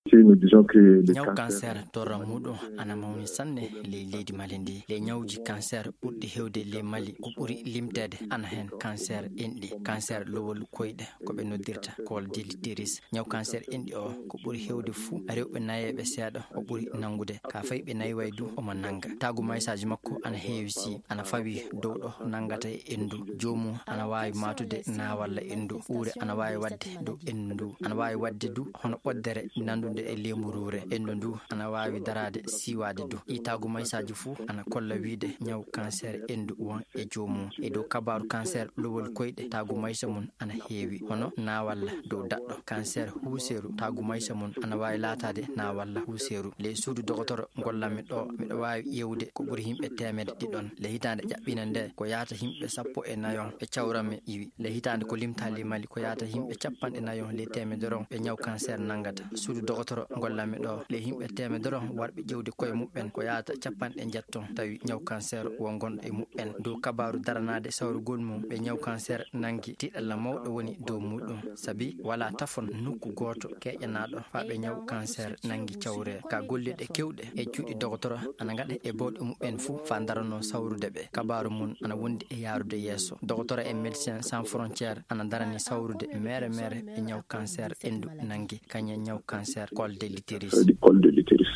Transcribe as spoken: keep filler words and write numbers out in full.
Si nous disons que le ñaw cancer cancer torra muɗum ana mawni sanne ley leydi mali ndi. Ley ñawji cancer ɓurɗi hewde ley mali ko ɓuri limteede ana heen cancer enɗi, cancer lowol koyɗe, ko ɓe noddirta col de l'utérus. Ñaw cancer enɗi o ko ɓuri hewde fuu rewɓe nayeeɓe seeɗa o ɓuri nanngude. Ka fayi ɓe nayway du omo nannga. Taagu maysaaji makko ana heewi si ana fawi dow ɗo nanngata e enndu. Joomum ana waawi maatude naawalla enndu. Uure ana waawi waɗde dow enndu ndu. Ana waawi waɗde du hono ɓoddere nanndude e leemburuure. Enndu ndu ana waawi daraade siiwaade du. Ɗi taagu maysaaji fuu ana kolla wiyde ñaw cancer enndu won e joomum. E dow kabaaru cancer lowol koyɗe, taagu maysa mum ana heewi hono naawalla dow daɗɗo. Cancer huuseeru, taagu maysa mum ana waawi laataade naawalla huuseeru. Ley suudu dogotoro ngollanmi ɗo, miɗo waawi ƴeewde ko ɓuri yimɓe teemedde ɗiɗon. Ley hitaande ƴaɓɓiinde nde ko yahata yimɓe sappo e nayon ɓe cawranmi iwi. Ley hitaande ko limtaali mali ko yahata yimɓe capanɗe nayon ley teemedere on ɓe ñaw cancer nanngata. Suudu dogotoro ngollanmi ɗo, ley yimɓe teemedere on warɓe ƴeewde koye muɓɓen ko yahata capanɗe njetton tawi ñaw cancer won gonɗo e muɓɓen. Dow kabaaru daranaade sawrugol mum ɓe ñaw cancer nanngi, tiiɗalla mawɗo woni dow muɗum. Sabi walaa tafon nokku gooto keeƴanaaɗo faa ɓe ñaw cancer nanngi cawre. Ka gollirɗe keewɗe e cuuɗi dogotoro ana ngaɗa e bawɗe muɓɓen fuu faa daranoo sawrude ɓe. Kabaaru mum ana wondi e yaarude yeeso. Dogotoro e Médecins Sans Frontières ana darani sawrude meere meere ɓe ñaw cancer enndu nanngi, kañum e ñaw cancer col de l'utérus. Col de l'utérus.